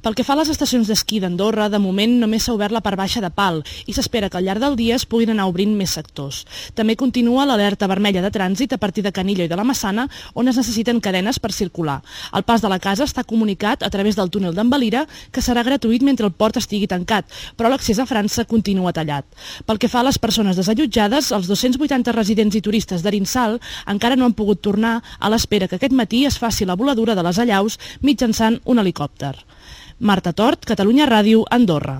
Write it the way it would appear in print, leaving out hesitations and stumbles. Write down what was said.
Pel que fa a les estacions d'esquí d'Andorra, de moment només s'ha obert la part baixa de Pal i s'espera que al llarg del dia es puguin anar obrint més sectors. També continua l'alerta vermella de trànsit a partir de Canillo i de la Massana, on es necessiten cadenes per circular. El pas de la casa està comunicat a través del túnel d'en Valira, que serà gratuït mentre el port estigui tancat, però l'accés a França continua tallat. Pel que fa a les persones desallotjades, els 280 residents i turistes d'Arinsal encara no han pogut tornar a l'espera que aquest matí es faci la voladura de les allaus mitjançant un helicòpter. Marta Tort, Catalunya Ràdio, Andorra.